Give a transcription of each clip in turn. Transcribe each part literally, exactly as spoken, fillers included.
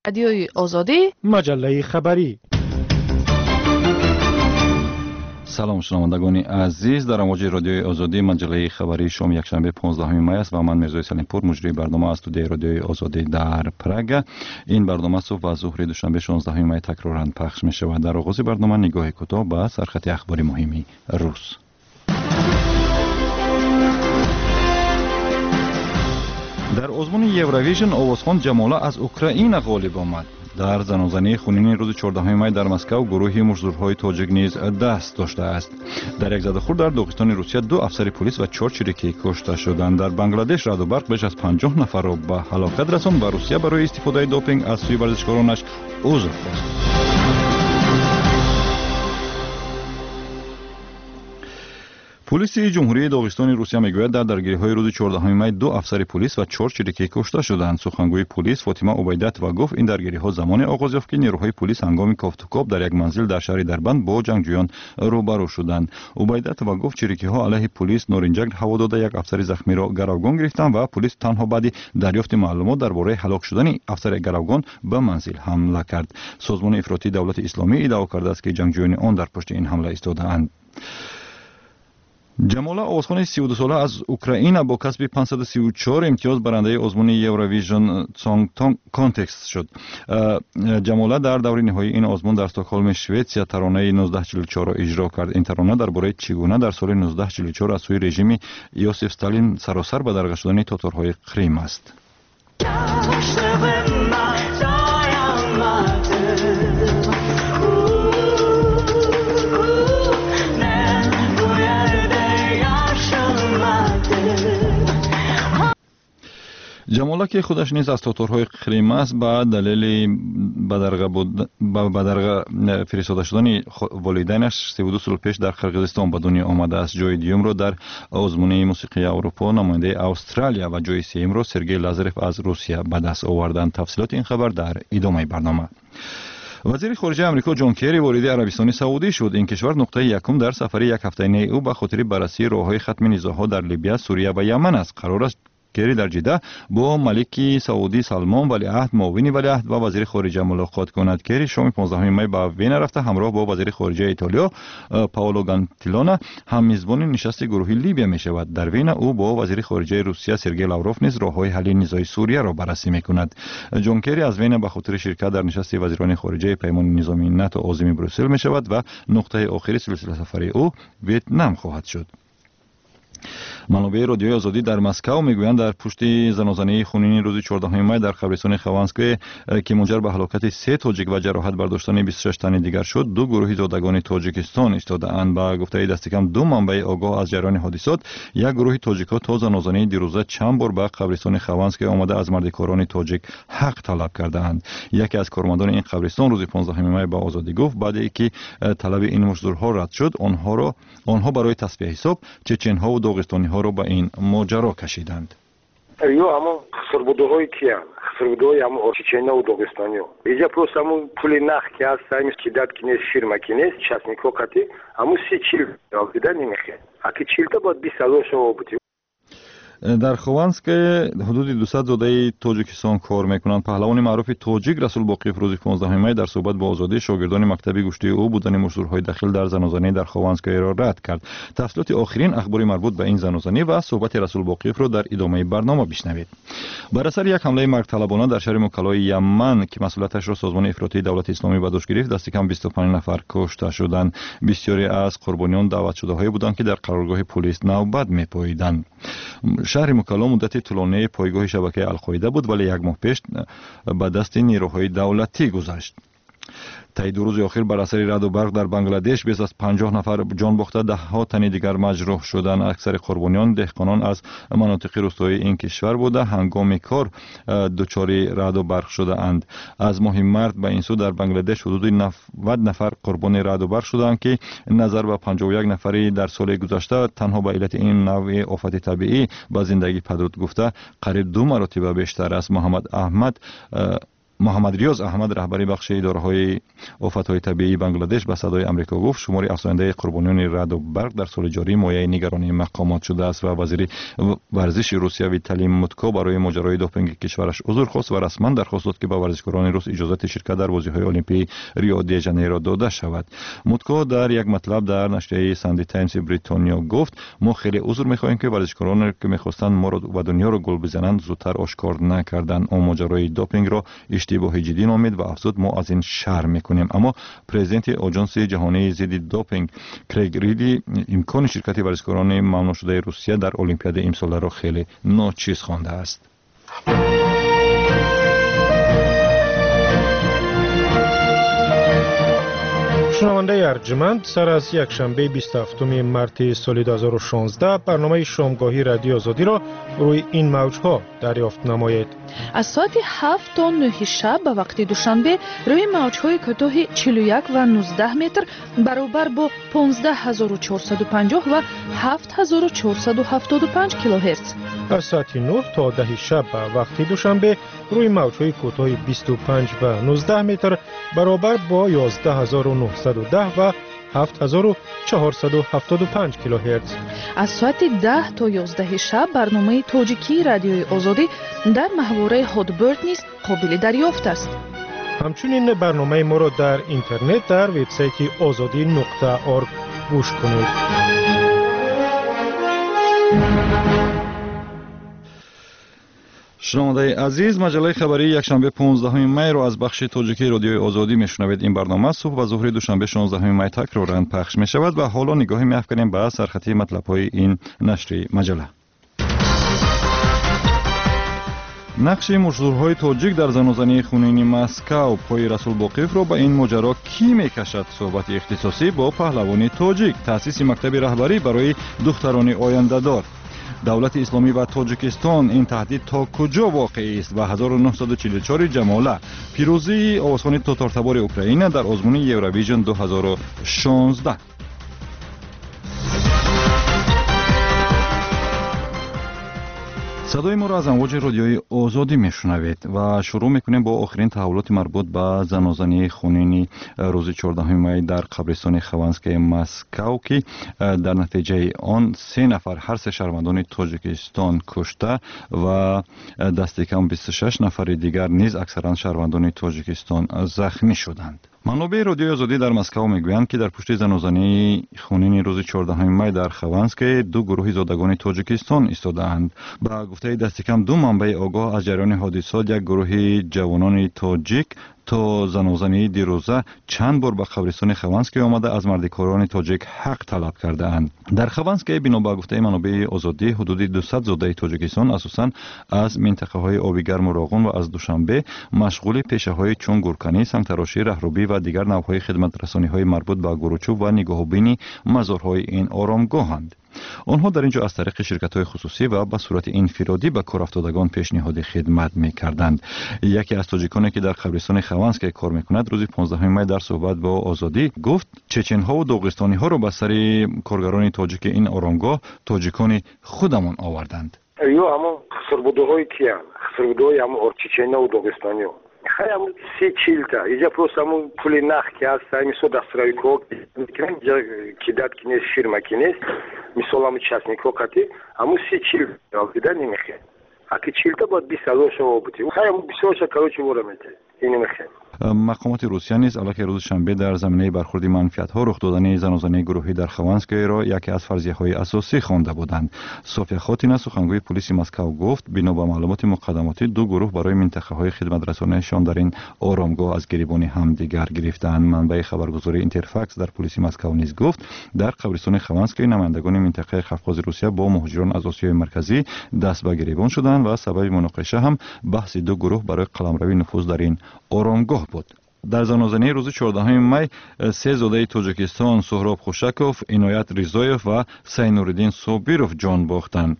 Радиои Озодӣ, маҷаллаи хабарӣ. Салом, шунавандагони азиз. Дар амвоҷи Радиои Озодӣ маҷаллаи хабарии шоми якшанбе понздаҳуми май аст ва ман Мирзои Салимпур, муҷрии барнома аз студияи Радиои Озодӣ дар Прага. Ин барнома субҳ ва зуҳри душанбе шонздаҳуми май такроран пахш мешавад. Дар оғози барнома нигоҳи кӯтоҳ ба сархати ахбори муҳими рӯз. Дар озмуни Евровижн овозхон Ҷамола аз Украина ғолиб омад. Дар занозании хунини рӯзи чордаҳуми май дар Москав гурӯҳи муштзурҳои тоҷик низ даст доштааст. Дар як задахӯрд дар Доғистони Русия ду афсари пулис ва чор чирикӣ кушта шуданд. Дар Бангладеш раъду барқ беш аз панҷоҳ нафарро ба ҳалокат расонд ва Русия барои истифодаи допинг аз сӯи варзишкоронаш узр хост. Пулиси Ҷумҳурии Доғистони Русия мегӯяд, дар даргириҳои рӯзи чордаҳуми май ду афсари пулис ва чор чирикӣ кушта шуданд. Сухангӯи пулис Фотима Убайдатова гуфт, ин даргириҳо замоне оғоз ёфт, ки нерӯҳои пулис ҳангоми кофтукоб дар як манзил дар шаҳри Дарбанд бо ҷангҷӯён рӯбарӯ шуданд. Убайдатова гуфт, чирикиҳо алайҳи пулис норинҷак ҳаво дода, як афсари захмиро гаравгон гирифтанд ва пулис танҳо баъди дарёфти маълумот дар бораи ҳалок шудани афсари гаравгон ба манзил ҳамла кард. Созмони ифротии Давлати Исломӣ иддао кардааст, ки ҷангҷӯёни он дар пушти ин ҳамла истодаанд. Ҷамола, овозхони сию дусола аз Украина, бо касби панҷсаду сию чор имтиёз барандаи озмуни Eurovision Song Contest шуд. Ҷамола дар даври ниҳоии ин озмун дар Стокҳолми Шветсия таронаи нуздаҳ чилу чорро иҷро кард. Ин тарона дар бораи чӣ гуна дар соли нуздаҳ чилу чор аз сӯи режими Иосиф Сталин саросар бадарға шудани тоторҳои Қрим аст. Ҷамола, ки худаш низ аз тоторҳои Қрим аст, ба далели ба бадарға фиристода шудани волидайнаш сиву ду сол пеш дар Қирғизистон ба дунё омадааст. Ҷои дуюмро дар озмуни мусиқии Аврупо намояндаи Австралия ва ҷои сеюмро Сергей Лазарев аз Русия ба даст оварданд. Тафсилоти ин хабар дар идомаи барнома. Вазири хориҷаи Амрико Ҷон Керри вориди Арабистони Саудӣ шуд. Ин кишвар нуқтаи якум дар сафари якҳафтаинаи ӯ ба хотири баррасии роҳҳои хатми низоъҳо дар Либия, Сурия ва Яман аст. Қарор аст Керри дар Ҷида бо малики Саудӣ Салмон, валиаҳд, муовини валиаҳд ва вазири хориҷа мулоқот кунад. Керри шоми понздаҳуми май ба Вена рафта, ҳамроҳ бо вазири хориҷаи Итолиё Паоло Гантилона ҳаммизбони нишасти гурӯҳи Либия мешавад. Дар Вена ӯ бо вазири хориҷаи Русия Сергей Лавров низ роҳҳои ҳалли низои Сурияро баррасӣ мекунад. Ҷон Керри аз Вена ба хотири ширкат дар нишасти вазирони хориҷаи паймони низомии НАТО озими Брюссел мешавад ва нуқтаи охири силсиласафари ӯ Ветнам хоҳад шуд. Манобеи Радиои Озодӣ дар Москав мегӯянд, дар пушти занозании хунини рӯзи чордаҳуми май дар қабристони Хованское, ки мунҷар ба ҳалокати се тоҷик ва ҷароҳат бардоштани бисту шаш тани дигар шуд, ду гурӯҳи зодагони Тоҷикистон истодаанд. Ба гуфтаи дастикам ду манбаи огоҳ аз ҷараёни ҳодисот, як гурӯҳи тоҷикҳо то занозании дирӯза чанд бор ба қабристони Хованское омада аз мардикорони тоҷик ҳақ талаб кардаанд. Яке аз кормандони ин қабристон рӯзи понздаҳуми май ба Озодӣ гуфт, баъде ки талаби ин муштзурҳо рад шуд, онҳо барои тасфия ҳисоб чеченҳову доғистониҳоро ба ин моҷаро кашиданд. Ё ҳамон хусурбудуҳои киянд, хусурбудуҳои ҳамон чеченаву доғистониҳо. Иҷа просто ҳамон пули нах ки ҳаст, ҳамин кидат ки нест, фирма ки нест, частникҳо қатӣ ҳамон си чил дида намехӯрад. Аки чилта бояд бист ҳазор шумо бутӣ. Дар Хованское ҳудуди дусад зодаи Тоҷикистон кор мекунанд. Паҳлавони маъруфи тоҷик Расул Боқиев рӯзи понздаҳуми май дар суҳбат бо Озодӣ шогирдони мактаби гӯштии ӯ будани муштзурҳои дахил дар занозанӣ дар Хованскоеро рад кард. Тафсилоти охирин ахбори марбут ба ин занозанӣ ва суҳбати Расул Боқиевро дар идомаи барнома бишнавед. Бар асари як ҳамлаи маргталабона дар шаҳри Мукалои Яман, ки масъулияташро созмони ифротии Давлати Исломӣ ба дӯш гирифт, дасти кам бисту панҷ нафар кушта шуданд. Бисёре аз қурбониён даъватшудаҳое буданд, ки дар қароргоҳи пулис навбат мепоиданд. Шаҳри Мукало муддати тӯлонии пойгоҳи шабакаи Алқоида буд, вале як моҳ пеш ба дасти нерӯҳои давлатӣ гузашт. Таи ду рӯзи охир бар асари раъду барқ дар Бангладеш беш аз панҷоҳ нафар ҷон бохта, даҳҳо тани дигар маҷрӯҳ шуданд. Аксари қурбониён деҳқонон аз манотиқи рӯстоии ин кишвар буда, ҳангоми кор дучори раъду барқ шудаанд. Аз моҳи март ба ин сӯ дар Бангладеш ҳудуди навад нафар қурбони раъду барқ шудаанд, ки назар ба панҷоҳу як нафари дар соли гузашта танҳо ба иллати ин навъи офати табиӣ ба зиндагӣ падруд гуфта, қариб ду маротиба бештар аст. Муҳаммад Аҳмад Муҳаммад Риёз Аҳмад, раҳбари бахши идораҳои офатҳои табиии Бангладеш, ба Садои Амрико гуфт, шумори афзояндаи қурбониёни раъду барқ дар соли ҷорӣ мояи нигаронии мақомот шудааст ва вазири варзиши Русия Виталий Мутко барои моҷарои допинги кишвараш узр хост ва расман дархост дод, ки ба варзишкорони рус иҷозати ширкат дар бозиҳои Олимпии Рио де Жанейро дода шавад. Мутко дар як матлаб дар нашрияи Санди Таймси Бритониё гуфт: мо хеле узр мехоҳем, ки варзишкороне, ки мехостанд моро ва дунёро гул бизананд, зудтар ошкор накарданд. Ӯ моҷарои допингро иштибоҳи ҷиддӣ номид ва афзуд: мо аз ин шарм мекунем. Аммо президенти Оҷонси ҷаҳонии зидди допинг Крейг Риди имкони ширкати варзишкорони мамнӯъшудаи Русия дар Олимпиадаи имсоларо хеле ночиз хондааст. Шунавандаи арҷманд, сар аз якшанбеи бисту ҳафтуми марти соли ду ҳазору шонздаҳ барномаи шомгоҳии Радиои Озодиро рӯи ин мавҷҳо дарёфт намоед. Аз соати ҳафт то нӯҳи шаб ба вақти Душанбе рӯи мавҷҳои кӯтоҳи чилу як ва нуздаҳ метр баробар бо понздаҳ ҳазору чорсаду панҷоҳ ва ҳафт ҳазору чорсаду ҳафтоду панҷ килогерц. Аз соати нӯҳ то даҳи шаб ба вақти Душанбе рӯи мавҷҳои кӯтоҳи бисту панҷ ва нуздаҳ метр баробар бо ёздаҳ ҳазору нӯҳсаду даҳ ва ҳафт ҳазору чорсаду ҳафтоду панҷ килогерц. Аз соати даҳ то ёздаҳи шаб барномаи тоҷикии Радиои Озодӣ дар маҳвораи Ҳотберд низ қобили дарёфт аст. Ҳамчунин барномаи моро дар интернет дар вебсайти озодӣ нуқта орг гӯш кунед. Шунавандаи азиз, маҷаллаи хабарии якшанбе понздаҳуми майро аз бахши тоҷикии Радиои Озодӣ мешунавед. Ин барнома субҳ ва зуҳри душанбе шонздаҳуми май такроран пахш мешавад ва ҳоло нигоҳе меафканем ба сархатии матлабҳои ин нашри маҷалла. Нақши мушзурҳои тоҷик дар занозании хунини Москав, пои Расул Боқиевро ба ин моҷаро кӣ мекашад? Суҳбати ихтисосӣ бо паҳлавони тоҷик, таъсиси мактаби раҳбарӣ барои духтарони ояндадор, давлати исломӣ ва Тоҷикистон, ин таҳдид то куҷо воқеист ва ҳазору нӯҳсаду чилу чор ҷамола, пирӯзии овозхони тотортабори Украина дар озмуни Евровижн ду ҳазору шонздаҳ. Садои моро аз амвоҷи Радиои Озодӣ мешунавед ва шурӯъ мекунем бо охирин таҳаввулоти марбут ба занозании хунини рӯзи чордаҳуми май дар қабристони Хованскии Москав, ки дар натиҷаи он се нафар, ҳар се шаҳрвандони Тоҷикистон, кушта ва дасти кам бисту шаш нафари дигар низ аксаран шаҳрвандони Тоҷикистон захмӣ шуданд. Манобеи Радиои Озодӣ дар Москав мегӯянд, ки дар пушти занозании хунини рӯзи чордаҳуми май дар Хованское ду гурӯҳи зодагони Тоҷикистон истодаанд. Ба гуфтаи дасти кам ду манбаи огоҳ аз ҷараёни ҳодисот, як гурӯҳи ҷавонони тоҷик то занозании дирӯза чанд бор ба қабристони Хованское омада аз мардикорони тоҷик ҳақ талаб кардаанд. Дар Хованское, бино ба гуфтаи манобеи Озодӣ, ҳудуди дусад зодаи Тоҷикистон, асосан аз минтақаҳои оби гарму Роғун ва аз Душанбе, машғули пешаҳои чун гурканӣ, сангтарошӣ, раҳрубӣ ва дигар навъҳои хидматрасониҳои марбут ба гуручӯб ва нигоҳубини мазорҳои ин оромгоҳанд. Онҳо дар ин ҷо аз тариқи ширкатҳои хусусӣ ва ба сурати инфиродӣ ба корафтодагон пешниҳоди хидмат мекарданд. Яке аз тоҷиконе, ки дар қабристони Хованское кор мекунад, рӯзи понздаҳуми май дар суҳбат бо Озодӣ гуфт, чеченҳову доғистониҳоро ба сари коргарони тоҷики ин оромгоҳ тоҷикони худамон оварданд. Ё ҳамон хусурбудуҳои киянд? Хусурбудуҳои ҳамон чеченаву доғистониҳо. Хай ҳамун се чилта. Иҷа просто ҳамун пули нах ки ҳаст, мисол дастравикҳо мекунанд, иҷа кидат ки нест, фирма ки нест, мисол ҳамун частникҳо қати ҳамун се чил дида намехӯрад. Аки чилта бояд бист ҳазор шава бути. Хай ҳамун бисёрша короче вора метавад. Ин намехӯрад. Мақомоти Русия низ аллакай рӯзи шанбе дар заминаи бархурди манфиатҳо рух додани занозании гурӯҳӣ дар Хованскоеро яке аз фарзияҳои асосӣ хонда буданд. София Хотина, сухангӯи пулиси Москав, гуфт, бино ба маълумоти муқаддамотӣ, ду гурӯҳ барои минтақаҳои хидматрасониашон дар ин оромгоҳ аз гирибони ҳамдигар гирифтаанд. Манбаи хабаргузории Интерфакс дар пулиси Москав низ гуфт, дар қабристони Хованское намояндагони минтақаи Қавқози Русия бо муҳоҷирон аз Осиёи Марказӣ даст ба гирибон шуданд ва сабаби муноқиша ҳам баҳси ду гурӯҳ барои қаламрави нуфуз дар ин оромгоҳ буд. Дар занозании рӯзи чордаҳуми май се зодаи Тоҷикистон Суҳроб Хушаков, Иноят Ризоев ва Сайнуриддин Собиров ҷон бохтанд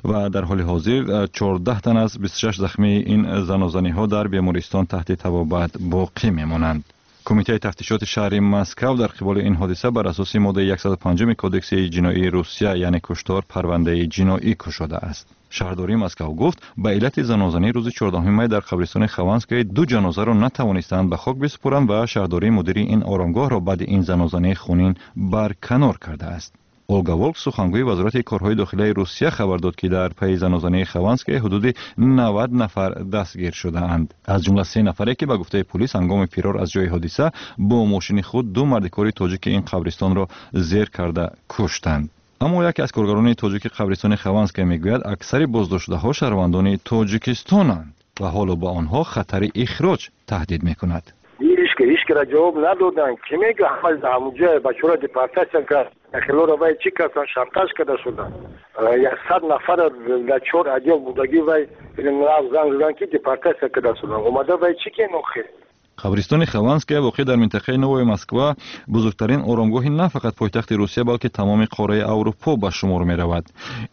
ва дар ҳоли ҳозир чордаҳ тан аз бисту шаш захмии ин занозаниҳо дар бемористон таҳти табобат боқӣ мемонанд. Кумитаи тафтишоти шаҳри Москав дар қиболи ин ҳодиса бар асоси моддаи яксаду панҷуми Кодекси ҷиноии Русия, яъне куштор, парвандаи ҷиноӣ кушодааст. Шаҳрдории Москав гуфт, ба иллати занозанӣ рӯзи чордаҳуми май дар қабристони Хованское ду ҷанозаро натавонистанд ба хок бисупоранд ва шаҳрдории мудири ин оромгоҳро баъди ин занозании хунин барканор кардааст. Олга Волк, сухангӯи Вазорати корҳои дохилаи Русия, хабар дод, ки дар пайи занозании Хованское ҳудуди навад нафар дастгир шудаанд, аз ҷумла се нафаре, ки ба гуфтаи пулис ҳангоми фирор аз ҷои ҳодиса бо мошини худ ду мардикори тоҷики ин қабристонро зер карда куштанд. Аммо яке аз коргарони тоҷики қабристони Хованское мегӯяд, аксари боздоштшудаҳо шаҳрвандони Тоҷикистонанд ва ҳоло ба онҳо хатари ихроҷ таҳдид мекунад. Ҳичкира ҷавоб надоданд. Ки мега, ҳама ҳамуҷа бачаҳоро депортатсия кард. Хелоро вай чӣ карданд, шантаж карда шуданд. Як сад нафара дар чор отдел будагӣ, вай занг заданд, ки депортатсия карда шуданд. Омада вай чӣ кен охир? Қабристони Хованская, воқеъ дар минтақаи Новая Москва, бузургтарин оромгоҳи на фақат пойтахти Русия, балки тамоми қораи Аврупо ба шумор меравад.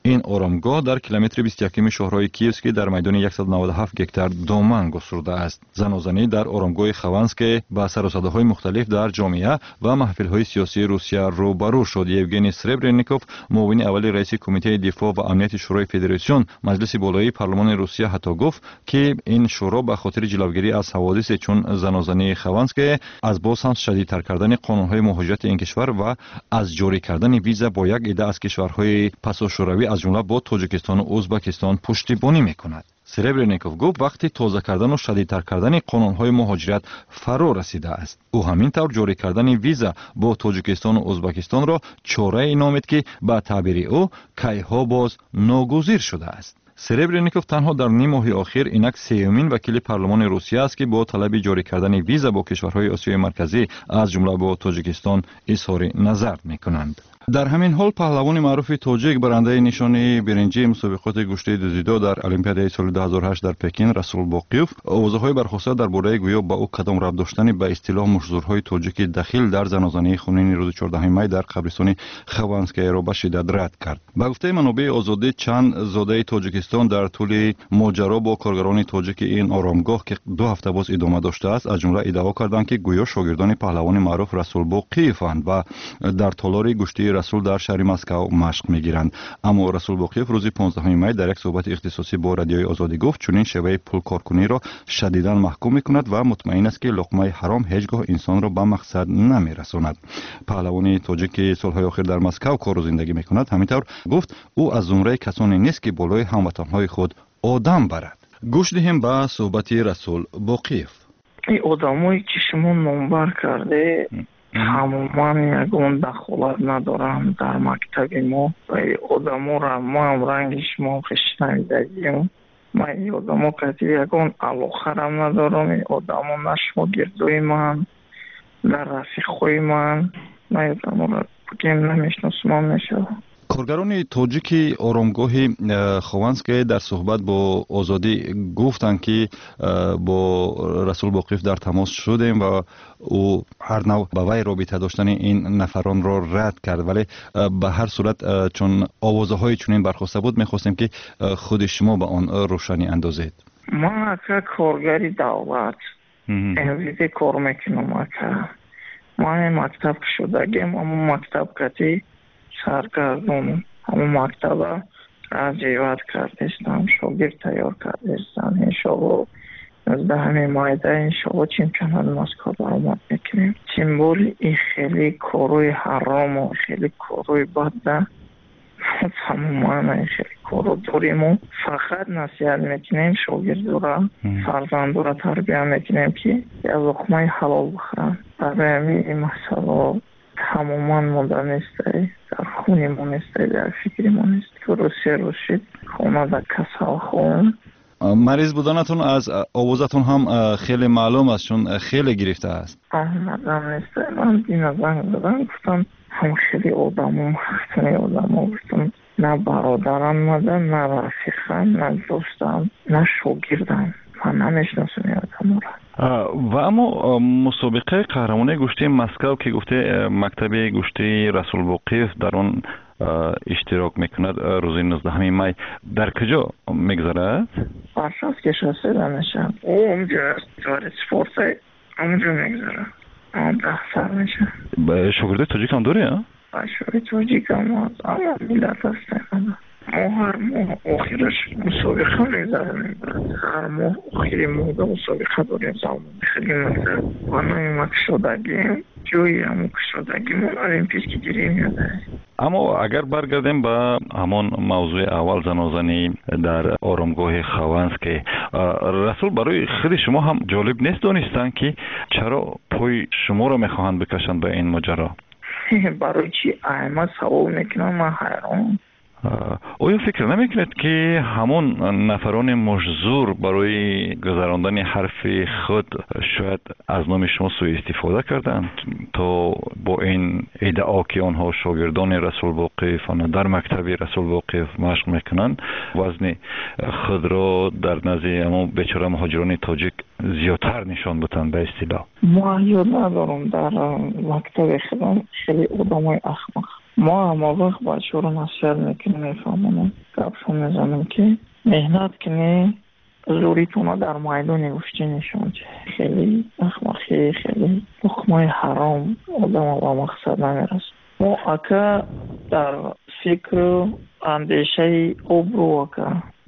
Ин оромгоҳ дар километри бисту якуми шоҳроҳи Киевский дар майдони яксаду наваду ҳафт гектар доман густурдааст. Занозанӣ дар оромгоҳи Хованская ба сарусадоҳои мухталиф дар ҷомеа ва маҳфилҳои сиёсии Русия рӯбарӯ шуд. Евгений Сребреников, муовини аввали раиси Кумитаи дифоъ ва амнияти Шӯрои Федератсион, Маҷлиси болоии парлумони Русия, ҳатто гуфт, ки ин шӯро ба хотири ҷилавгирӣ аз ҳаводисе чун занозании Хованская аз боз ҳам шадидтар кардани қонунҳои муҳоҷирати ин кишвар ва аз ҷорӣ кардани виза бо як идда аз кишварҳои пасошӯравӣ, аз ҷумла бо Тоҷикистону Ӯзбакистон, пуштибонӣ мекунад. Серебреников гуфт, вақти тоза кардану шадидтар кардани қонунҳои муҳоҷират фаро расидааст. Ӯ ҳамин тавр ҷорӣ кардани виза бо Тоҷикистону Ӯзбакистонро чорае номид, ки ба таъбири ӯ кайҳо боз ногузир шудааст. Серебреников танҳо дар ним моҳи охир инак сеюмин вакили парлумони Русия аст, ки бо талаби ҷорӣ кардани виза бо кишварҳои Осиёи Марказӣ, аз ҷумла бо Тоҷикистон, изҳори назар мекунанд. Дар ҳамин ҳол паҳлавони маъруфи тоҷик, барандаи нишони биринҷии мусобиқоти гӯштии дузидо дар Олимпиадаи соли ду ҳазору ҳашт дар Пекин, Расул Боқиев, овозаҳои бархоста дар бораи гӯё ба ӯ кадом рабт доштани ба истилоҳ муштзӯрҳои тоҷики дахил дар занозании хунини рӯзи чордаҳуми май дар қабристони Хованскаяро ба шиддат рад кард. Ба гуфтаи манобеи Озодӣ, чанд зодаи Тоҷикистон дар тӯли моҷаро бо коргарони тоҷики ин оромгоҳ, ки ду ҳафта боз идома доштааст, аз ҷумла иддао карданд, ки гӯё шогирдони паҳлавони маъруф Расул Боқиеванд ва дар толори гӯштии Расул дар шаҳри Москав машқ мегиранд. Аммо Расул Боқиев рӯзи понздаҳуми май дар як суҳбати ихтисосӣ бо Радиои Озодӣ гуфт, чунин шеваи пулкоркуниро шадидан маҳкум мекунад ва мутмаин аст, ки луқмаи ҳаром ҳеҷ гоҳ инсонро ба мақсад намерасонад. Паҳлавони тоҷик, ки солҳои охир дар Москав кору зиндагӣ мекунад, ҳамин тавр гуфт, ӯ аз зумраи касоне нест, ки болои ҳамватанҳои худ одам барад. Гӯш диҳем ба суҳбати Расул Боқиев. Ин одамое, ки шумо номбар карде, тамоман ягон дахолат надоранд дар мактаби мо. Ва ин одаморо маам ранги шумо шунавидагиам. Ман ин одамо кати ягон алоқарам надорам. Ин одамо на шогирдои ман, на рафиқҳои ман. Ман ин одаморо бигем, намешиносумам мешавад. Коргарони тоҷики оромгоҳи э, Хованское дар суҳбат бо Озодӣ гуфтанд, ки э, бо Расул Боқиев дар тамос шудем ва ӯ ҳар нав ба вай робита доштани ин нафаронро рад кард, вале э, ба ҳар сурат, чун овозаҳои чунин бархоста буд, мехостем, ки худи шумо ба он рӯшанӣ андозед. Ман, ака, коргари давлат, М В Д кор мекунам, ака. Ман мактаб шудагем, аммо мактаб кати саргардонам. Ҳамон мактаба развивать кардестам, шогирд тайёр кардестам. Иншоалло, нуздаҳами майда, иншоалло, чемпионати Москва баромад мекунем. Тем более ин хеле корҳои ҳарому хеле корҳои бадда тамоман ин хеле корро дориму фақат насиҳат мекунем шогирдора, фарзандора тарбия мекунем, ки як луқмаи ҳалол бихӯранд. Барои ҳамин ин масъалао тамоман монда нестай, дар хуни мо нестай, дар фикри мо нест. Рӯз се рӯз шид, хонада касалхон. Мариз буданатон аз овозатон ҳам хеле маълум аст, чун хеле гирифтааст. Омадам нестай. Ман дина занг задам, гуфтам, ҳам хеле одамо, ҳастани одамо, гуфтам, на бародарам мада, на рафиқам, на дӯстам, на шогирдам. Ман намешиносам ин одаморо. Ва аммо мусобиқаи қаҳрамонии гӯштии Москав, ки гуфте мактаби гӯштии Расул Боқиев дар он иштирок мекунад, рӯзи нуздаҳуми май дар куҷо мегузарад? Варшавский шоссе мешавад. Онҷо дворец спорта, онҷо мегузарад, даҳ сар мешавад. Шогирдои тоҷикам дорӣ? Шогирди тоҷикам, ама миллат ҳастем. Мо ҳар моҳ охираш мусобиқа мегузаронем, брат. Ҳар моҳ охири моҳда мусобиқа дорем залмон. Хеле мактаб ва номи ма кушодагим, ҷои ҳамун кушодагимон олимпийский деревняда. Аммо агар баргардем ба ҳамон мавзӯи аввал, занозанӣ дар оромгоҳи Хованский, Расул, барои худи шумо ҳам ҷолиб нест донистан, ки чаро пои шуморо мехоҳанд бикашанд ба ин моҷаро? Барои чӣ айма савол мекунам, ман ҳайрон. Оё фикр намекунед, ки ҳамон нафарони мушзур барои гузарондани ҳарфи худ шояд аз номи шумо сӯистифода карданд, то бо ин иддао, ки онҳо шогирдони Расул Боқиев ва дар мактаби Расул Боқиев машқ мекунанд, вазни худро дар назди ҳамон бечора муҳоҷирони тоҷик зиёдтар нишон бутанд ба истилоҳ? Ман ёд надорам, дар мактаби худам хеле одамои ахмақ. Мо ҳама вақт бачаҳоро насиҳат мекунем, мефаҳмонем, гапшон мезанем, ки меҳнат кунӣ, зӯритона дар майдони гӯштӣ нишон диҳ. Хеле ахмақӣ, хеле луқмаи ҳаром одама ба мақсад намерасад. Мо ака дар фикру андешаи обрӯ, ака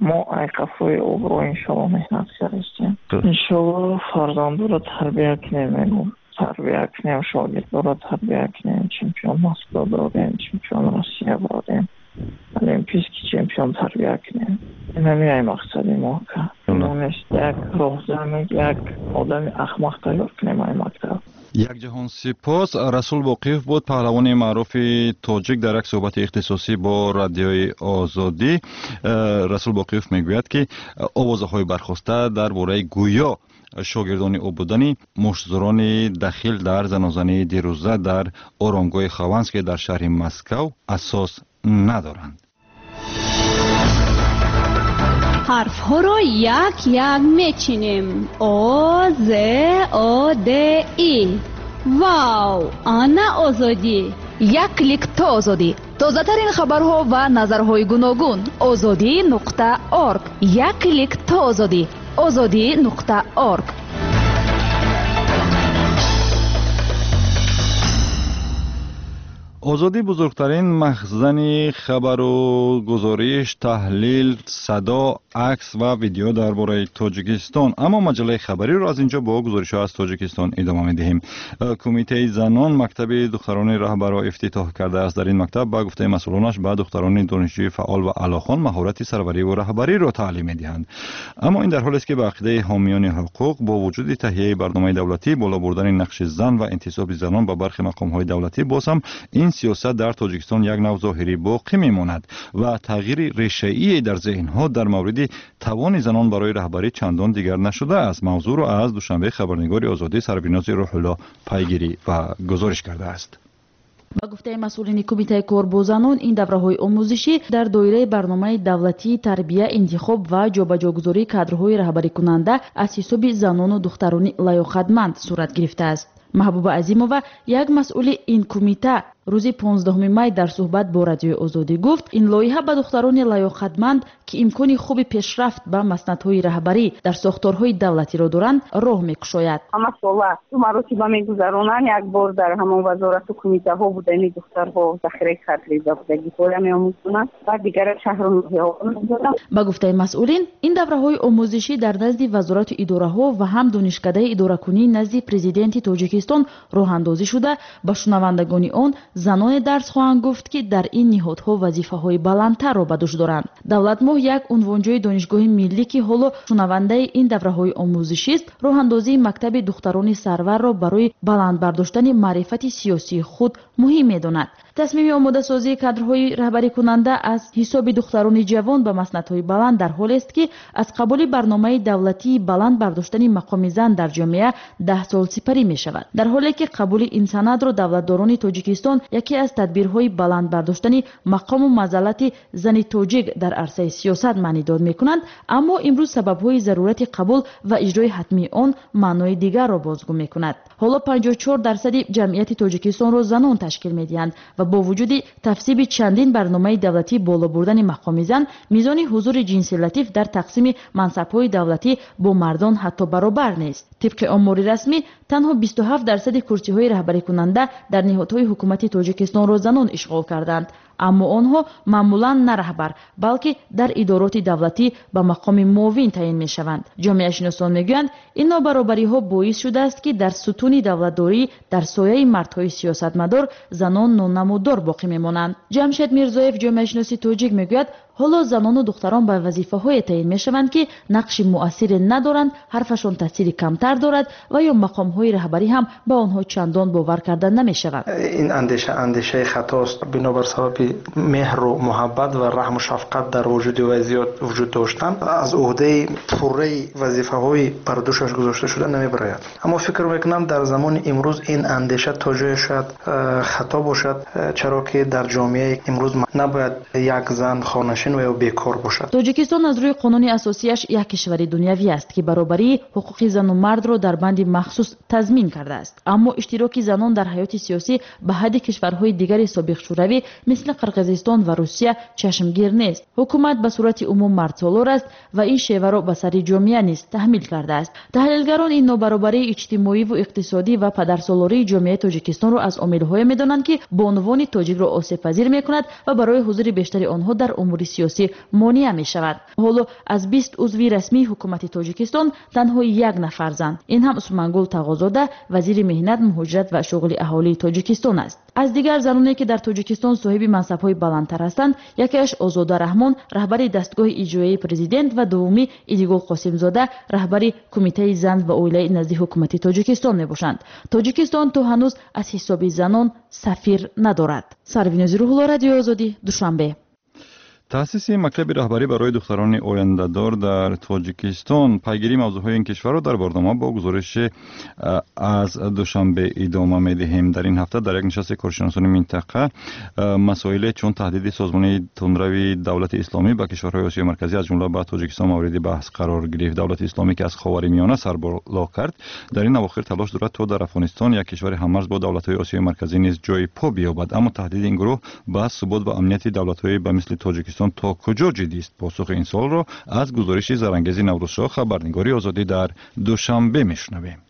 мо айқафои обрӯ иншоалло меҳнат кардастем. Иншоалло фарзандоро тарбия кунем, мегӯм. Тарбия кунем, шогирдоро тарбия кунем, чемпион Москва дорем, чемпион Россия дорем, олимпийский чемпион тарбия кунем. Ин ҳамин ай мақсади мо, ака. Мо нест як роҳзан, як одами ахмақ тайёр кунем ай мактаб. Як ҷаҳон сипос. Расул Боқиев буд, паҳлавони маъруфи тоҷик, дар як суҳбати ихтисосӣ бо Радиои Озодӣ. Расул Боқиев мегӯяд, ки овозаҳои бархоста дар бораи гӯё шогирдони ӯ будани муштзурони дахил дар занозании дирӯза дар оромгоҳи Хованский дар шаҳри Москав асос надоранд. Ҳарфҳоро як-як мечинем. О, З, О, Д, И. Вау! Ана Озодӣ! Як клик то Озодӣ. Тозатарин хабарҳо ва назарҳои гуногун. Озодӣ нуқта орг. Як клик то Озодӣ. Озодӣ нуқта орг. Озодӣ бузургтарин махзани хабару гузориш, таҳлил, садо, акс ва видео дар бораи Тоҷикистон. Аммо маҷаллаи хабариро аз инҷо бо гузоришҳо аз Тоҷикистон идома медиҳем. Кумитаи занон мактаби духтарони раҳбарро ифтитоҳ кардааст. Дар ин мактаб, ба гуфтаи масъулонаш, ба духтарони донишҷӯи фаъол ва аълохон маҳорати сарвариву раҳбариро таълим медиҳанд. Аммо ин дар ҳолест, ки ба ақидаи ҳомиёни ҳуқуқ, бо вуҷуди таҳияи барномаи давлатӣ, боло бурдани нақши зан ва интисоби занон ба бархи мақомҳои давлатӣ, боз ҳам ин сиёсат дар Тоҷикистон як нав зоҳирӣ боқӣ мемонад ва тағйири решаие дар зеҳнҳо дар мавриди тавони занон барои раҳбарӣ чандон дигар нашудааст. Мавзӯъро аз Душанбе хабарнигори Озодӣ Сарвинози Рӯҳулло пайгирӣ ва гузориш кардааст. Ба гуфтаи масъулини кумитаи кор бо занон, ин давраҳои омӯзишӣ дар доираи барномаи давлатии тарбия, интихоб ва ҷобаҷогузории кадрҳои раҳбарикунанда аз ҳисоби занону духтарони лаёқатманд сурат гирифтааст. Маҳбуба Азимова, як масъули ин кумита, рӯзи понздаҳуми май дар суҳбат бо Радиои Озодӣ гуфт, ин лоиҳа ба духтарони лаёқатманд, ки имкони хуби пешрафт ба маснадҳои раҳбарӣ дар сохторҳои давлатиро доранд, роҳ мекушояд. Ҳама сола ду маротиба мегузаронанд, як бор дар ҳамон вазорату кумитаҳо будани духтарҳо захираи кадрӣ ба будагиҳоя меомӯзонанд ва дигар шаҳру ноҳияҳо мегузаронанд. Ба гуфтаи масъулин, ин давраҳои омӯзишӣ дар назди вазорату идораҳо ва ҳам донишкадаи идоракунии назди президенти Тоҷикистон роҳандозӣ шуда, ба шунавандагони он заноне дарс хоҳанд гуфт, ки дар ин ниҳодҳо вазифаҳои баландтарро ба дӯш доранд. Давлатмоҳ, як унвонҷӯи донишгоҳи миллӣ, ки ҳоло шунавандаи ин давраҳои омӯзишист, роҳандозии мактаби духтарони сарварро барои баланд бардоштани маърифати сиёсии худ муҳим медонад. Тасмими омодасозии кадрҳои раҳбарикунанда аз ҳисоби духтарони ҷавон ба маснадҳои баланд дар ҳолест, ки аз қабули барномаи давлатии баланд бардоштани мақоми зан дар ҷомеа даҳ сол сипарӣ мешавад. Дар ҳоле ки қабули ин санадро давлатдорони Тоҷикистон яке аз тадбирҳои баланд бардоштани мақому манзалати зани тоҷик дар арсаи сиёсат маънидод мекунанд, аммо имрӯз сабабҳои зарурати қабул ва иҷрои ҳатмии он маънои дигарро бозгӯ мекунад. Ҳоло панҷоҳу чор дарсади ҷамъияти Тоҷикистонро занон ташкил медиҳанд ва бо вуҷуди тафсиби чандин барномаи давлатӣ боло бурдани мақоми зан, мизони ҳузури ҷинси латиф дар тақсими мансабҳои давлатӣ бо мардон ҳатто баробар нест. Тибқи омори расмӣ, танҳо бисту ҳафт дарсади курсиҳои раҳбарикунанда дар ниҳодҳои ҳукумати Тоҷикистонро занон ишғол карданд. Аммо онҳо маъмулан на раҳбар, балки дар идороти давлатӣ ба мақоми муовин таъин мешаванд. Ҷомеашиносон мегӯянд, ин нобаробариҳо боис шудааст, ки дар сутуни давлатдорӣ дар сояи мардҳои сиёсатмадор занон нонамудор боқӣ мемонанд. Ҷамшед Мирзоев, ҷомеашиноси тоҷик, мегӯяд, ҳоло занону духтарон ба вазифаҳое таъин мешаванд, ки нақши муассире надоранд, ҳарфашон таъсири камтар дорад ва ё мақомҳои раҳбарӣ ҳам ба онҳо чандон бовар карда намешавад. Ин андеша андешаи хатост. Бинобар сабаби меҳру муҳаббат ва раҳму шафқат дар вуҷуди вай зиёд вуҷуд доштан, аз уҳдаи пурраи вазифаҳои бар дӯшаш гузошта шуда намебарояд. Аммо фикр мекунам, дар замони имрӯз ин андеша то ҷое шояд хато бошад, чаро ки дар ҷомеаи имрӯз набояд як зан хонашин ва ё бекор бошад. Тоҷикистон аз рӯи қонуни асосияш як кишвари дунявӣ аст, ки баробарии ҳуқуқи зану мардро дар банди махсус тазмин кардааст. Аммо иштироки занон дар ҳаёти сиёсӣ ба ҳадди кишварҳои дигари собиқ шӯравӣ мисли Қирғизистон ва Русия чашмгир нест. Ҳукумат ба сурати умум мардсолор аст ва ин шеваро ба сари ҷомеа низ таҳмил кардааст. Таҳлилгарон ин нобаробарии иҷтимоиву иқтисодӣ ва падарсолории ҷомеаи Тоҷикистонро аз омилҳое медонанд, ки бонувони тоҷикро осебпазир мекунад ва барои ҳузури бештари онҳо дар умури сиёсӣ монеа мешавад. Ҳоло аз бист узви расмии ҳукумати Тоҷикистон танҳо як нафар зан. Ин ҳам Усмонгул Тағозода, вазири меҳнат, муҳоҷират ва шуғли аҳолии Тоҷикистон аст. Аз дигар заноне, ки дар Тоҷикистон соҳиби мансабҳои баландтар ҳастанд, якеаш Озода Раҳмон, раҳбари дастгоҳи иҷроияи президент, ва дуввумӣ Идигул Қосимзода, раҳбари кумитаи зан ва оилаи назди ҳукумати Тоҷикистон мебошанд. Тоҷикистон то ҳанӯз аз ҳисоби занон сафир надорад. Сарвинози Рӯҳулло, Радиои Озодӣ, Душанбе. Таъсиси мактаби раҳбарӣ барои духтарони ояндадор дар Тоҷикистон. Пайгирии мавзӯъҳои ин кишварро дар барнома бо гузориши аз Душанбе идома медиҳем. Дар ин ҳафта дар як нишасти коршиносони минтақа масоиле чун таҳдиди созмони тундрави Давлати Исломӣ ба кишварҳои Осиёи Марказӣ, аз ҷумла ба Тоҷикистон, мавриди баҳс қарор гирифт. Давлати Исломӣ, ки аз Ховари Миёна сарболо кард, дар ин авохир талош дорад, то дар Афғонистон, як кишвари ҳаммарз бо давлатҳои Осиёи Марказӣ, низ ҷои по биёбад. Аммо таҳдиди ин гурӯҳ ба субот ва амнияти давлатҳои ба мисли Тоҷикистон то куҷо ҷиддист? Посухи ин суолро аз гузориши Зарангези Наврӯзшоҳ, хабарнигори Озодӣ дар Душанбе, мешунавем.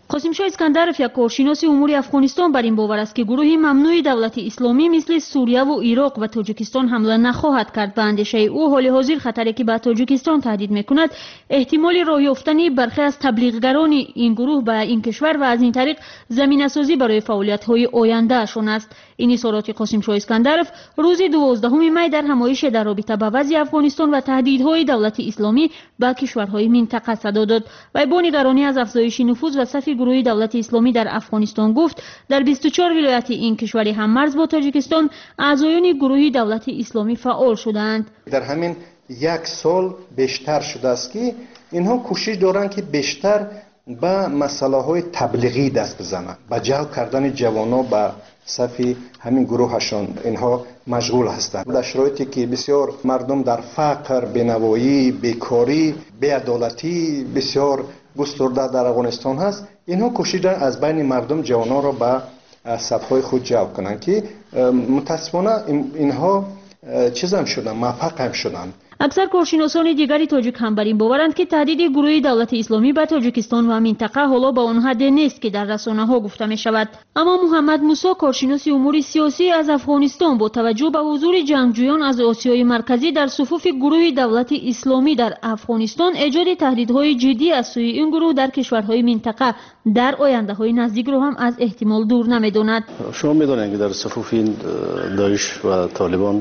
Қосимшоҳ Искандаров, як коршиноси умури Афғонистон, бар ин бовар аст, ки гурӯҳи мамнӯи Давлати Исломӣ мисли Сурияву Ироқ ба Тоҷикистон ҳамла нахоҳад кард. Ба андешаи ӯ, ҳоли ҳозир хатаре, ки ба Тоҷикистон таҳдид мекунад, эҳтимоли роҳ ёфтани бархе аз таблиғгарони ин гурӯҳ ба ин кишвар ва аз ин тариқ заминасозӣ барои фаъолиятҳои ояндаашон аст. Ин изҳороти Қосимшоҳ Искандаров рӯзи дувоздаҳуми май дар ҳамоише дар робита ба вазъи Афғонистон ва таҳдидҳои Давлати Исломӣ ба кишварҳои минтақа садо дод. Вай бо нигаронӣ аз афзоиши нуфуз ва сафи гурӯҳи Давлати Исломӣ дар Афғонистон гуфт, дар бисту чор вилояти ин кишвари ҳаммарз бо Тоҷикистон аъзоёни гурӯҳи Давлати Исломӣ фаъол шудаанд. Дар ҳамин як сол бештар шудааст, ки инҳо кӯшиш доранд, ки бештар ба масъалаҳои таблиғӣ даст бизананд, ба ҷалб кардани ҷавонон ба сафи ҳамин гурӯҳашон инҳо машғул ҳастанд. Дар шароите ки бисёр мардум дар фақр, бенавоӣ, бекорӣ, беадолатӣ бисёр густурда дар Афғонистон ҳаст, инҳо кӯшиш доранд аз байни мардум ҷавононро ба сафҳои худ ҷалб кунанд, ки мутаассифона инҳо чизам шуданд, муваффақам шуданд. Аксар коршиносони дигари тоҷик ҳам бар ин боваранд, ки таҳдиди гурӯҳи Давлати Исломӣ ба Тоҷикистон ва минтақа ҳоло ба он ҳадде нест, ки дар расонаҳо гуфта мешавад. Аммо Муҳаммад Мусо, коршиноси умури сиёсӣ аз Афғонистон, бо таваҷҷӯҳ ба ҳузури ҷангҷӯён аз Осиёи Марказӣ дар суфуфи гурӯҳи Давлати Исломӣ дар Афғонистон, эҷоди таҳдидҳои ҷиддӣ аз сӯи ин гурӯҳ дар кишварҳои минтақа дар ояндаҳои наздикро ҳам аз эҳтимол дур намедонад. Шумо медонед, ки дар суфуфи Даиш ва Толибон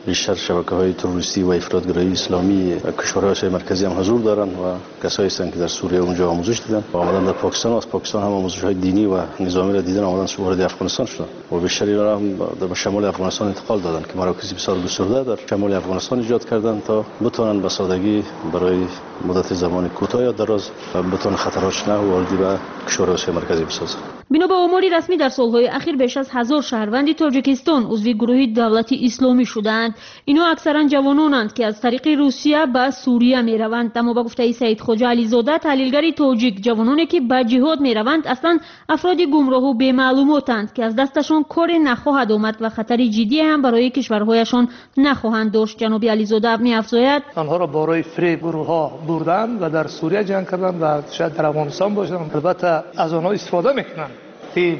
بیشتر شبکه‌های تروریستی و افراط‌گرایی اسلامی کشورهای آسیای مرکزی هم حضور دارند و کسایی هستند که در سوریه اونجا آموزش دیدن و آمدن در پاکستان، از پاکستان هم آموزش‌های دینی و نظامی را دیدن، آمدن وارد افغانستان شدن و بیشتر اینا هم در شمال افغانستان انتقال دادن که مراکزی بسیار گسترده در شمال افغانستان ایجاد کردن تا بتوانند به سادگی برای مدت زمان کوتاه یا دراز بتوانند خطرات نه وارد به کشورهای آسیای مرکزی بسازند. бино ба омори расмӣ, дар солҳои ахир беш аз ҳазор шаҳрванди Тоҷикистон узви гурӯҳи Давлати Исломӣ шудаанд. Инҳо аксаран ҷавононанд, ки аз тариқи Русия ба Сурия мераванд. Аммо ба гуфтаи Саид Хоҷа Ализода, таҳлилгари тоҷик, ҷавононе, ки ба ҷиҳод мераванд, аслан афроди гумроҳу бемаълумотанд, ки аз дасташон коре нахоҳад омад ва хатари ҷиддие ҳам барои кишварҳояшон нахоҳанд дошт. Ҷаноби Ализода меафзояд: онҳоро барои фиреб гурӯҳҳо бурданд ва дар Сурия ҷанг карданд ва шояд дар Афғонистон бошанд. Албатта, аз онҳо истифода мекунанд.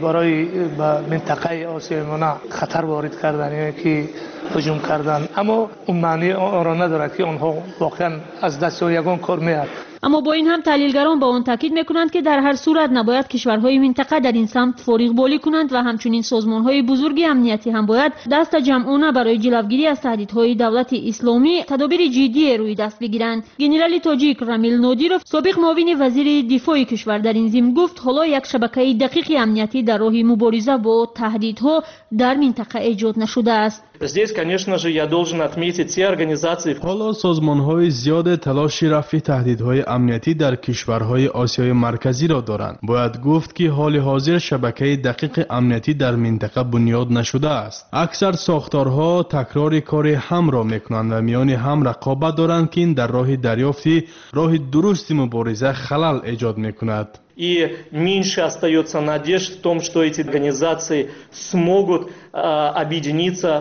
Барои ба минтақаи Осиёи Миёна хатар ворид кардан ё ки ҳуҷум кардан, аммо он маънии онро надорад, ки онҳо воқеан аз дасти ягон кор меояд. Аммо бо ин ҳам таҳлилгарон ба он таъкид мекунанд, ки дар ҳар сурат набояд кишварҳои минтақа дар ин самт фориғболӣ кунанд ва ҳамчунин созмонҳои бузурги амниятӣ ҳам бояд дастаҷамъона барои ҷилавгирӣ аз таҳдидҳои давлати исломӣ тадобири ҷиддие рӯи даст бигиранд. Генерали тоҷик Рамил Нодиров, собиқ муовини вазири дифои кишвар, дар ин зимн гуфт, ҳоло як шабакаи дақиқи амниятӣ дар роҳи мубориза бо таҳдидҳо дар минтақа эҷод нашудааст. Здесь, конечно же, я должен отметить те организации. Ҳоло созмонҳои зиёде талоши рафъи таҳдидҳои амниятӣ дар кишварҳои Осиёи Марказиро доранд. Бояд гуфт, ки ҳоли ҳозир шабакаи дақиқи амниятӣ дар минтақа бунёд нашудааст. Аксар сохторҳо такрори кори ҳамро мекунанд ва миёни ҳам рақобат доранд, ки ин дар роҳи дарёфти роҳи дурусти мубориза халал эҷод мекунад. И меньше остается надежд в том, что эти организации смогут э, объединиться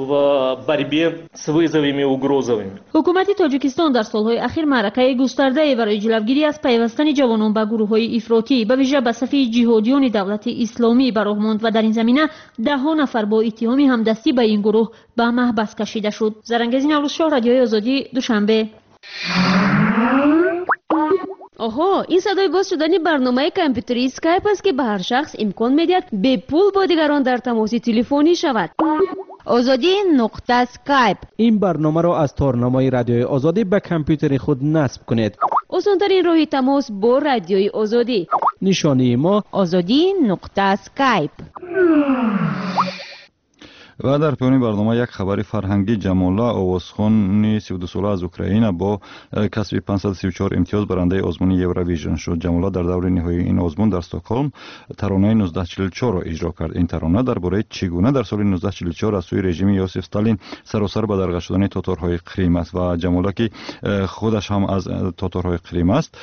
в борьбе с вызовами и угрозами. Ҳукумати Тоҷикистон дар солҳои ахир маъракаи густардае барои ҷилавгирӣ аз пайвастани ҷавонон ба гурӯҳҳои ифротӣ, ба вижа ба сафи ҷиҳодиёни давлати исломӣ ба роҳ монд ва дар ин замина даҳҳо нафар бо иттиҳоми ҳамдастӣ ба ин гурӯҳ ба маҳбас кашида шуд. Зарангези Наврӯзшоҳ, Радиои Озодӣ, Душанбе. Оҳо, ин садои боз шудани барномаи компютерии Скайп аст, ки ба ҳар шахс имкон медиҳад бепул бо дигарон дар тамоси телефонӣ шавад. Озодӣ нуқта Скайп. Ин барномаро аз торнамои Радиои Озодӣ ба компютери худ насб кунед. Осонтарин роҳи тамос бо Радиои Озодӣ. Нишонии мо Озодӣ нуқта Скайп. Ва дар поёни барнома як хабари фарҳангӣ. Ҷамола, овозхони сивдусола аз Украина, бо касби панҷсаду сиву чор имтиёз барандаи озмуни Евровижн шуд. Ҷамола дар даври ниҳоии ин озмун дар Стокҳолм таронаи нуздаҳ чилу чорро иҷро кард. Ин тарона дар бораи чӣ гуна дар соли нуздаҳ чилу чор аз сӯи режими Иосиф Сталин саросар бадарға шудани тоторҳои Қрим аст. Ва Ҷамола, ки худаш ҳам аз тоторҳои Қрим аст,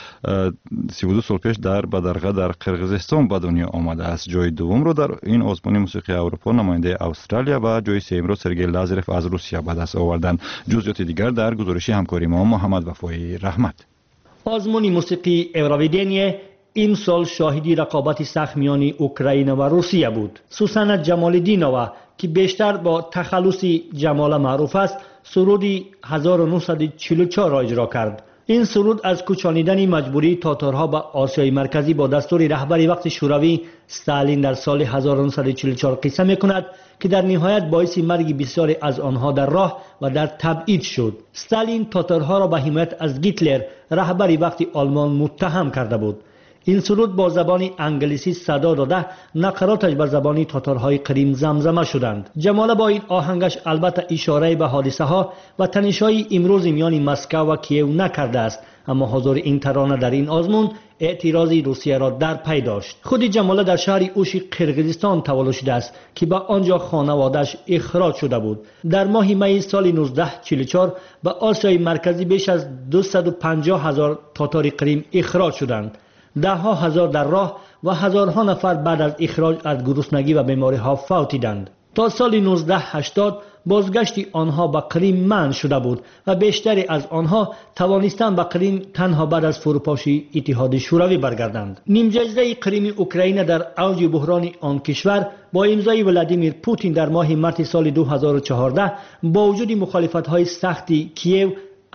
сивду сол пеш дар бадарға дар Қирғизистон ба дунё омадааст. Ҷои дуввумро дар ин озмуни мусиқии Аврупо намояндаи Австралия ва ҷои сеюмро Сергей Лазарев аз Русия ба даст оварданд. Ҷузъиёти дигар дар гузориши ҳамкори мо Муҳаммад Вафои Раҳмат. Озмуни мусиқии Евровидение имсол шоҳиди рақобати сахт миёни Украина ва Русия буд. Сусана Ҷамолиддинова, ки бештар бо тахаллуси Ҷамола маъруф аст, суруди ҳазору нуҳсаду чилу чорро иҷро кард. Ин суруд аз кӯчонидани маҷбурии тоторҳо ба Осиёи Марказӣ бо дастури раҳбари вақти Шӯравӣ Сталин дар соли ҳазору нуҳсаду чилу чор қисса мекунад, ки дар ниҳоят боиси марги бисёре аз онҳо дар роҳ ва дар табъид шуд. Сталин тоторҳоро ба ҳимоят аз Гитлер, раҳбари вақти Олмон, муттаҳам карда буд. Ин суруд бо забони англисӣ садо дода, нақароташ ба забони тоторҳои Қрим замзама шуданд. Ҷамола бо ин оҳангаш албатта ишорае ба ҳодисаҳо ва танишҳои имрӯзи миёни Москав ва Киев накардааст, аммо ҳузури ин тарона дар ин озмун эътирози Русияро дар пай дошт. Худи Ҷамола дар шаҳри Уши Қирғизистон таваллуд шудааст, ки ба он ҷо хонаводааш ихроҷ шуда буд. Дар моҳи майи соли нуздаҳ чилу чор ба Осиёи Марказӣ беш аз дусаду панҷоҳ ҳазор тотори Қрим ихроҷ шуданд. Даҳҳо ҳазор дар роҳ ва ҳазорҳо нафар баъд аз ихроҷ аз гуруснагӣ ва бемориҳо фавтиданд. То соли нуздаҳ ҳаштод бозгашти онҳо ба Қрим манъ шуда буд ва бештаре аз онҳо тавонистанд ба Қрим танҳо баъд аз фурӯпошии Иттиҳоди Шӯравӣ баргарданд. Нимҷазираи Қрими Украина дар авҷи буҳрони он кишвар бо имзои Владимир Путин дар моҳи марти соли ду ҳазору чордаҳ бо вуҷуди мухолифатҳои сахти Киев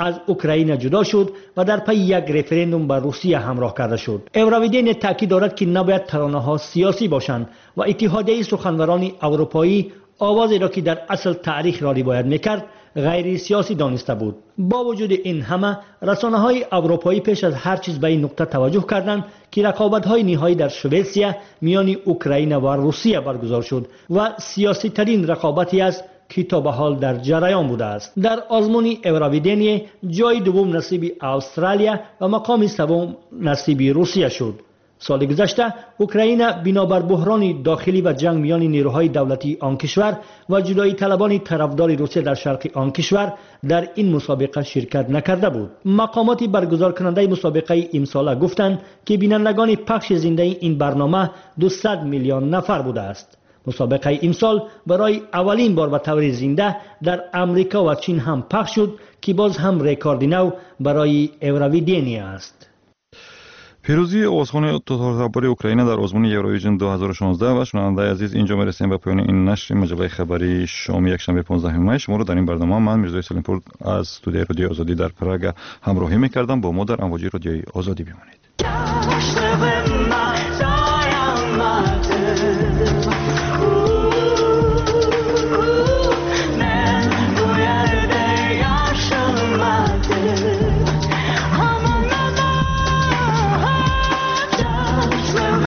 аз Украина ҷудо шуд ва дар пайи як референдум ба Русия ҳамроҳ карда шуд. Евровидение таъкид дорад, ки набояд таронаҳо сиёсӣ бошанд ва Иттиҳодияи суханварони аврупоӣ овозеро, ки дар асл таърихро ривоят мекард, ғайрисиёсӣ дониста буд. Бо вуҷуди ин ҳама, расонаҳои аврупоӣ пеш аз ҳар чиз ба ин нуқта таваҷҷӯҳ карданд, ки рақобатҳои ниҳоӣ дар Шветсия миёни Украина ва Русия баргузор шуд ва сиёситарин рақобате аст, ки то ба ҳол дар ҷараён будааст. Дар озмуни Евровидение ҷои дуввум насиби Австралия ва мақоми севум насиби Русия шуд. Соли гузашта Украина бинобар буҳрони дохилӣ ва ҷанг миёни нерӯҳои давлатии он кишвар ва ҷудоиталабони тарафдори Русия дар шарқи он кишвар дар ин мусобиқа ширкат накарда буд. Мақомоти баргузоркунандаи мусобиқаи имсола гуфтанд, ки бинандагони пахши зиндаи ин барнома дусад миллион нафар будааст. Мусобиқаи имсол барои аввалин бор ба таври зинда дар Амрико ва Чин ҳам пахш шуд, ки боз ҳам рекорди нав барои Евровидение аст. Пирӯзии овозхони тотортабори Украина дар озмуни Евровижн ду ҳазору шонздаҳ. Ва шунавандаи азиз, инҷо мерасем ба поёни ин нашри маҷаллаи хабарии шоми якшанбе понздаҳуми май. Шуморо дар ин барнома ман, Мирзои Салимпур, аз студияи Радиои Озодӣ дар Прага ҳамроҳӣ мекардам. Бо мо дар амвоҷи Радиои Озодӣ бимонед.